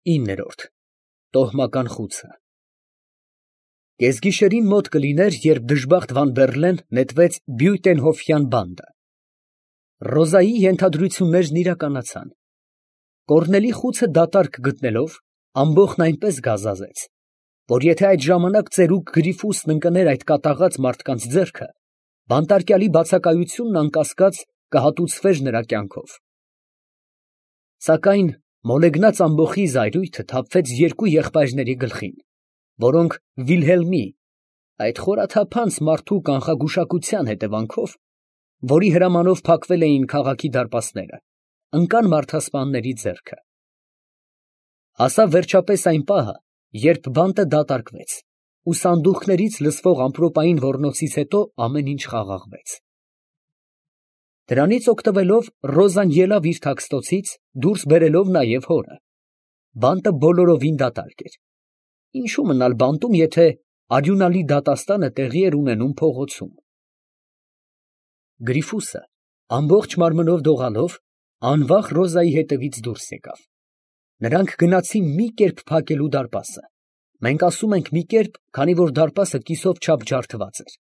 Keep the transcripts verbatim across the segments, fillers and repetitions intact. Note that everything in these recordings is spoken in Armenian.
ինը Տոհմական խուցը։ Կեսգիշերին մոտ կլիներ, երբ դժբախտ Վանդերլեն նետվեց Բյուտենհոֆյան բանտը։ Ռոզայի ենթադրություններն իրականացան։ Կոռնելի խուցը դատարկ գտնելով, ամբոխն այնպես գազազեց, որ եթե այդ ժամանակ ծերուկ Գրիֆուսն ընկներ այդ կատաղած մարդկանց ձեռքը, բանտարկյալի բացակայությունն անկասկած կհատուցվեր նրա կյանքով։ Սակայն մոլեգնած ամբոխի զայրույթը թափվեց երկու եղբայրների գլխին, որոնք Վիլհելմի, այդ խորաթափանց մարդու կանխագուշակության հետևանքով, որի հրամանով փակվել էին քաղաքի դարպասները, ընկան մարդասպանների ձեռքը։ Հասավ վերջապես այն պահը, երբ բանտը դատարկվեց, ու սանդուղքներից լսվող ամպրոպային ոռնոցից հետո ամեն ինչ խաղաղվեց։ Դրանից օգտվելով Ռոզան ելավ իր թաքստոցից, դուրս բերելով նաև հորը։ Բանտը բոլորովին դատարկ էր։ Ինչու մնալ բանտում, եթե արյունալի դատաստանը տեղի էր ունենում փողոցում։ Գրիֆուսը ամբողջ մարմնով դողալով անվախ Ռոզայի հետևից դուրս եկավ։ Նրանք գնացին մի կերպ փակելու դարպասը։ Մենք ասում ենք մի կերպ, քանի որ դարպասը կիսով չափ ջարդված էր։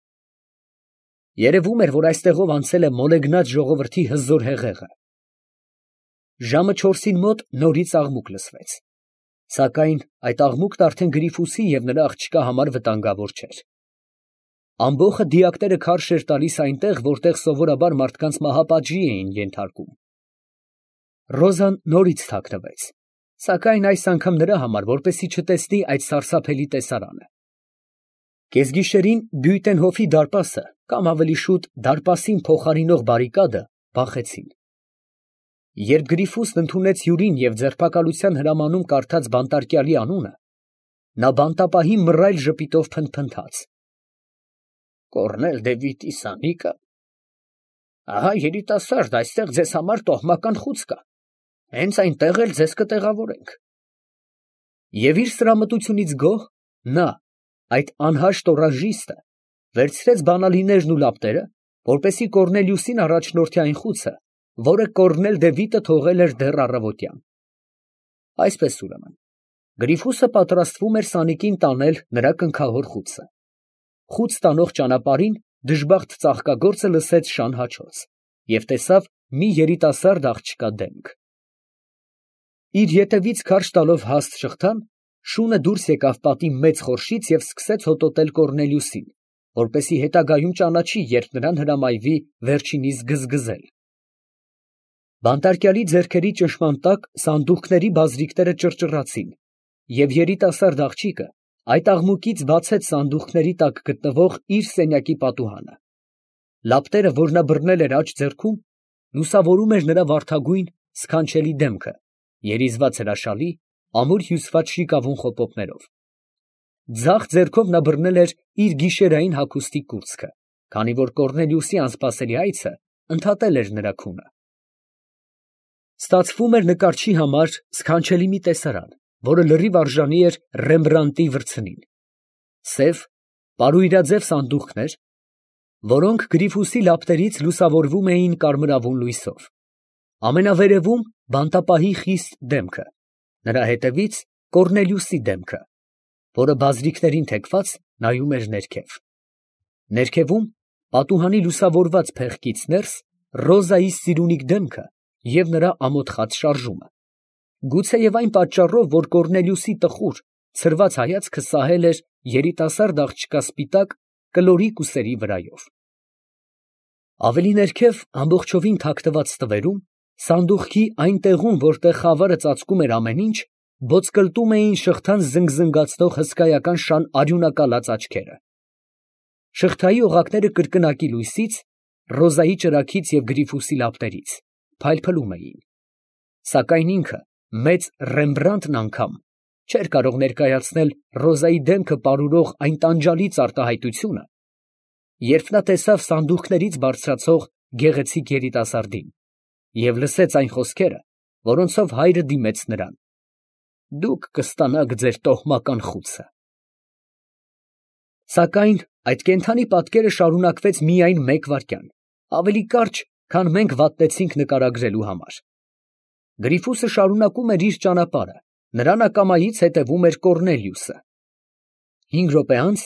Երևում էր, որ այստեղով անցել է մոլեգնած ժողովրդի հզոր հեղեղը։ Ժամը չորսին մոտ նորից աղմուկ լսվեց։ Սակայն այդ աղմուկն արդեն Գրիֆուսի և նրա աղջկա համար վտանգավոր չէր։ Ամբոխը դիակները քարշ էր տալիս այնտեղ, որտեղ սովորաբար մարդկանց մահապատժի էին ենթարկում։ Ռոզան նորից թաքնվեց, սակայն այս անգամ նրա համար, որպեսզի չտեսնի այդ սարսափելի տեսարանը։ Կեսգիշերին Բյուտենհոֆի դարպասը, կամ ավելի շուտ դարպասին փոխարինող բարիկադը բախեցին։ Երբ Գրիֆուսն ընդունեց հյուրին և ձերբակալության հրամանում կարդաց բանտարկյալի անունը, նա բանտապահի մռայլ ժպիտով փնթփնթաց. Կոռնել Դևիդի սանիկը։ Ահա երիտասարդ, այստեղ ձեզ համար տոհմական խուց կա, հենց այնտեղ էլ ձեզ կտեղավորենք։ Եվ իր սրամտությունից գոհ, նա, այդ անհաշտ օրաժիստը, վերցրեց բանալիներն ու լապտերը, որպեսզի Կոռնելիուսին առաջնորդի այն խուցը, որը Կոռնել Դևիդը թողել էր դեռ առավոտյան։ Այսպես ուրեմն, Գրիֆուսը պատրաստվում էր սանիկին տանել նրա կնքահոր խուցը։ Խուց տանող ճանապարհին դժբախտ ծաղկագործը լսեց շան հաչոց և տեսավ մի երիտասարդ աղջկա դեմք։ Իր ետևից քարշ տալով հաստ շղթան, շունը դուրս եկավ պատի մեծ խորշից և սկսեց հոտոտել Կոռնելիուսին, որպեսզի հետագայում ճանաչի, երբ նրան հրամայվի վերջինիս գզգզել։ Բանտարկյալի ձեռքերի ճնշման տակ սանդուղքների բազրիկները ճռճռացին, և երիտասարդ աղջիկը այդ աղմուկից բացեց սանդուղքների տակ գտնվող իր սենյակի պատուհանը։ Լապտերը, որ նա բռնել էր աջ ձեռքում, լուսավորում էր նրա վարդագույն, սքանչելի դեմքը, երիզված հրաշալի, ամուր հյուսված շիկավուն խոպոպներով։ Ձախ ձեռքով նա բռնել էր իր գիշերային հագուստի կուրծքը, քանի որ Կոռնելիուսի անսպասելի այցը ընդհատել էր նրա քունը։ Ստացվում էր նկարչի համար սքանչելի մի տեսարան, որը լրիվ արժանի էր Ռեմբրանդտի վրձնին։ Սև, պարույրաձև սանդուղքներ, որոնք Գրիֆուսի լապտերից լուսավորվում էին կարմրավուն լույսով։ Ամենավերևում բանտապահի խիստ դեմքը, նրա հետևից Կոռնելիուսի դեմքը, որը բազրիկներին թեքված նայում էր ներքև։ Ներքևում, պատուհանի լուսավորված փեղկից ներս, Ռոզայի սիրունիկ դեմքը և նրա ամոթխած շարժումը։ Գուցեև այն պատճառով, որ Կոռնելիուսի տխուր, ցրված հայացքը սահել էր երիտասարդ աղջկա սպիտակ, կլորիկ ուսերի վրայով։ Ավելի ներքև, ամբողջովին թաքնված ստվերում, սանդուղքի այն տեղում, որտեղ խավարը ծածկում էր ամեն ինչ, ոտսկլտում էին շղթան զնգզնգացնող հսկայական շան արյունակալած աչքերը։ Շղթայի օղակները կրկնակի լույսից, Ռոզայի ճրագից և Գրիֆուսի լապտերից փայլփլում էին։ Սակայն ինքը, մեծ Ռեմբրանդտն անգամ, չէր կարող ներկայացնել Ռոզայի դեմքը պարուրող այն տանջալից արտահայտությունը, երբ նա տեսավ սանդուղքներից բարձրացող գեղեցիկ երիտասարդին և լսեց այն խոսքերը, որոնցով հայրը դիմեց նրան. «Դուք կստանաք ձեր տոհմական խուցը»։ Սակայն այդ կենդանի պատկերը շարունակվեց միայն մեկ վայրկյան, ավելի կարճ, քան մենք վատնեցինք նկարագրելու համար։ Գրիֆուսը շարունակում էր իր ճանապարհը, Նրան ակամայից հետևում էր Կոռնելիուսը։ Հինգ րոպե անց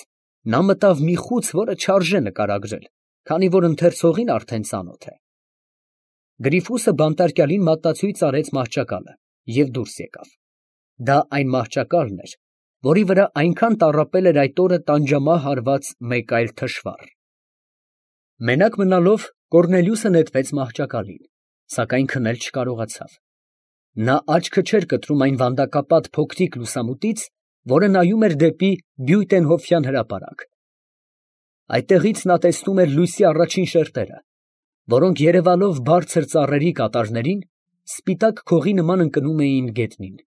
նա մտավ մի խուց, որը չարժե նկարագրել, քանի որ ընթերցողին արդեն ծանոթ է։ Գրիֆուսը բանտարկյալին մատնացույց արեց մահճակալը և դուրս եկավ։ Դա այն մահճակալն էր, որի վրա այնքան տառապել էր այդ օրը տանջամահ հարված մեկ այլ թշվառ։ Մենակ մնալով Կոռնելիուսը նետվեց մահճակալին, սակայն քնել չկարողացավ։ Նա աչքը չէր կտրում այն վանդակապատ փոքրիկ լուսամուտից, որը նայում էր դեպի Բյուտենհոֆյան հրապարակ։ Այդտեղից նա տեսնում էր լույսի առաջին շերտերը, որոնք երևալով բարձր ծառերի կատարներին, սպիտակ քողի նման ընկնում էին գետնին։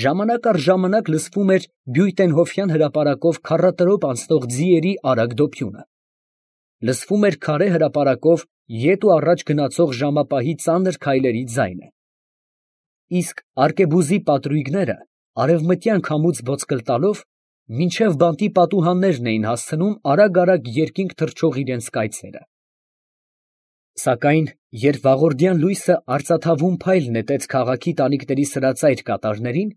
Ժամանակ առ ժամանակ լսվում էր Բյուտենհոֆյան հրապարակով քառատրոփ անցնող ձիերի արագ դոփյունը։ Լսվում էր քարե հրապարակով ետ ու առաջ գնացող ժամապահի ծանր քայլերի ձայնը։ Իսկ արկեբուզի պատրույգները արևմտյան քամուց ոսկլ տալով մինչև բանտի պատուհաններն էին հասցնում արագ֊արագ երկինք թռչող իրենց կայծերը։ Սակայն երբ վաղորդյան լույսը արծաթավուն փայլ նետեց քաղաքի տանիքների սրածայր կատարներին,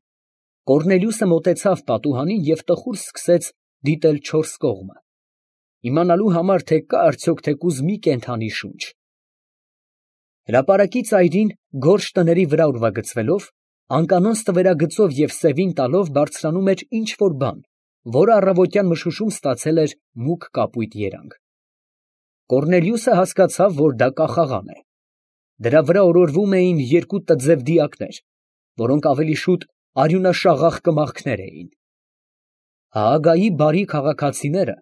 Կոռնելիուսը մոտեցավ պատուհանին և տխուր սկսեց դիտել չորս կողմը, իմանալու համար, թե կա արդյոք թեկուզ մի կենդանի շունչ։ Հրապարակի ծայրին գորշ տների վրա ուրվագծվելով, անկանոն ստվերագծով և սևին տալով բարձրանում էր ինչ֊որ բան, որը առավոտյան մշուշում ստացել էր մուգ կապույտ երանգ։ Կոռնելիուսը հասկացավ, որ դա կախաղան է։ Դրա վրա օրորվում էին երկու տձև դիակներ, որոնք ավելի շուտ արյունաշաղախ կմախքներ էին։ Հաագայի բարի քաղաքացիները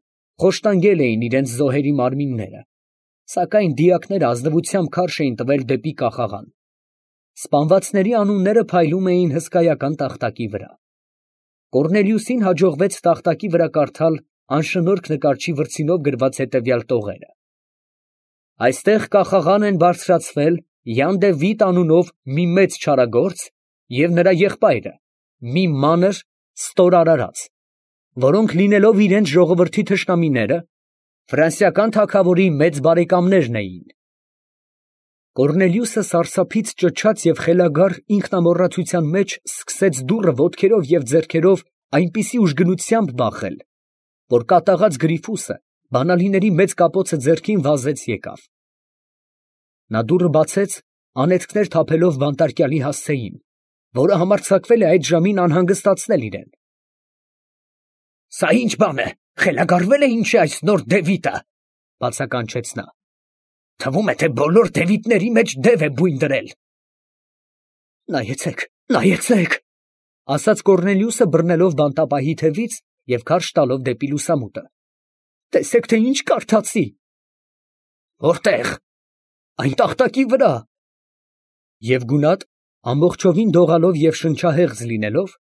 խոշտանգել էին իրենց զոհերի մարմինները, սակայն դիակները ազնվությամբ քարշ էին տվել դեպի կախաղան։ Սպանվածների անունները փայլում էին հսկայական տախտակի վրա։ Կոռնելիուսին հաջողվեց տախտակի վրա կարդալ անշնորհք նկարչի վրձինով գրված հետևյալ տողերը. «Այստեղ կախաղան են բարձրացվել Յան դե Վիտ անունով մի մեծ չարագործ և նրա եղբայրը, մի մանր ստոր արարած, որոնք լինելով իրենց ժողովրդի թշնամիները, ֆրանսիական թագավորի մեծ բարեկամներն էին»։ Կոռնելիուսը սարսափից ճչաց և խելագար ինքնամոռացության մեջ սկսեց դուռը ոտքերով և ձեռքերով այնպիսի ուժգնությամբ բախել, որ կատաղած Գրիֆուսը բանալիների մեծ կապոցը ձեռքին վազեց եկավ։ Նա դուռը բացեց, անեծքներ թափելով բանտարկյալի հասցեին, որը համարձակվել է այդ ժամին անհանգստացնել իրեն։ ֊ Սա ի՞նչ բան է, խելագարվե՞լ է ինչ է այս նոր դևիթը, ֊ բացականչեց նա։ ֊ Թվում է, թե բոլոր դևիթների մեջ դև է բույն դրել։ ֊ Նայեցե՛ք, նայեցե՛ք, ֊ ասաց Կոռնելիուսը բռնելով բանտապահի թևից և քարշ տալով դեպի լուսամուտը։ ֊ Տեսեք, թե ինչ կարդացի։ ֊ Որտե՞ղ։ ֊ Այն տախտակի վրա։ Եվ գունատ, ամբողջովին դողալով և շնչահեղձ լինելով,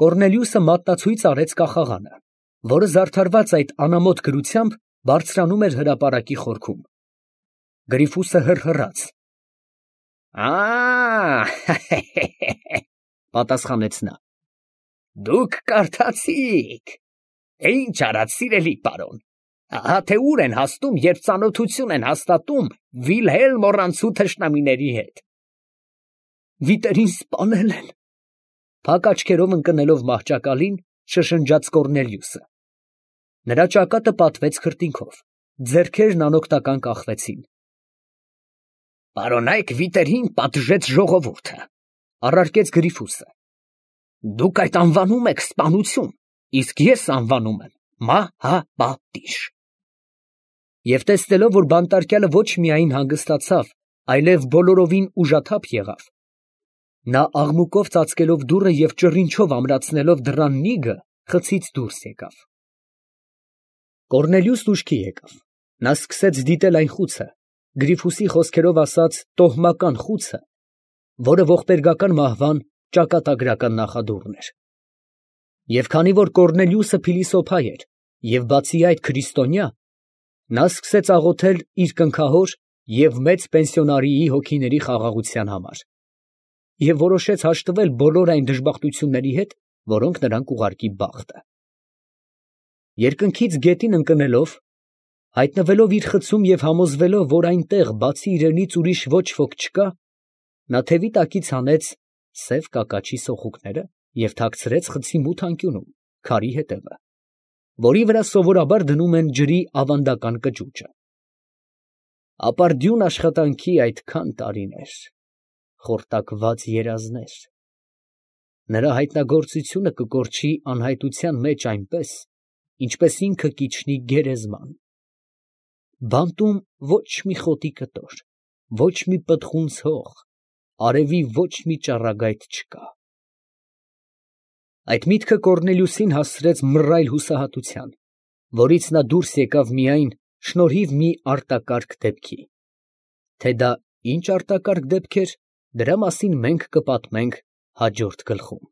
Կոռնելիուսը մատնացույց արեց կախաղանը, որը զարդարված այդ անամոթ գրությամբ բարձրանում էր հրապարակի խորքում։ Գրիֆուսը հռհռաց։ «Ա՜, պատասխանեց նա, դուք կարդացիք, ինչ արած, սիրելի պարոն, ահա թե ուր են հասնում, երբ ծանոթություն են հաստատում Վիլհելմ Օռանցու թշնամիների հետ։ Վիտերին սպանել են, փակ աչքերով ընկնելով մահճակալին, շշնջաց Կոռնելիուսը։ Նրա ճակատը պատվեց քրտինքով, ձեռքերն անօգնական կախվեցին։ Պարոնայք Վիտերին պատժեց ժողովուրդը, առարկեց Գրիֆուսը։ Դուք այդ անվանում եք սպանություն, իսկ ես անվանում եմ մահապատիժ։ Եվ տեսնելով, որ բանտարկյալը ոչ միայն հանգստացավ, այլև բոլորովին ուժաթափ եղավ, նա աղմուկով ծածկելով դուռը և ճռինչով ամրացնելով դռան նիգը, խցից դուրս եկավ։ Կոռնելիուսն ուշքի եկավ։ Նա սկսեց դիտել այն խուցը, Գրիֆուսի խոսքերով ասած տոհմական խուցը, որը ողբերգական մահվան ճակատագրական նախադուռն էր։ Եվ քանի որ Կոռնելիուսը փիլիսոփա էր և բացի այդ քրիստոնյա, նա սկսեց աղոթել իր կնքահոր և մեծ պենսիոնարիի հոգիների խաղաղության համար և որոշեց հաշտվել բոլոր այն դժբախտությունների հետ, որոնք նրան կուղարկի բախտը։ Երկնքից գետին ընկնելով, հայտնվելով իր խցում և համոզվելով, որ այնտեղ բացի իրենից ուրիշ ոչ ոք չկա, նա թևի տակից հանեց սև կակաչի սոխուկները և թաքցրեց խցի մութ անկյունում, քարի ետևը, որի վրա սովորաբար դնում են ջրի ավանդական կճուճը։ Ապարդյուն աշխատանքի այդքան տարիներ, խորտակված երազներ… Նրա հայտնագործությունը կկորչի անհայտության մեջ այնպես, ինչպես ինքը կիջնի գերեզման… Բանտում ոչ մի խոտի կտոր, ոչ մի պտղունց հող, արևի ոչ մի ճառագայթ չկա… Այդ միտքը Կոռնելիուսին հասցրեց մռայլ հուսահատության, որից նա դուրս եկավ միայն շնորհիվ մի արտակարգ դեպքի… Թե դա ինչ արտակարգ դեպք էր, դրա մասին մենք կպատմենք հաջորդ գլխում։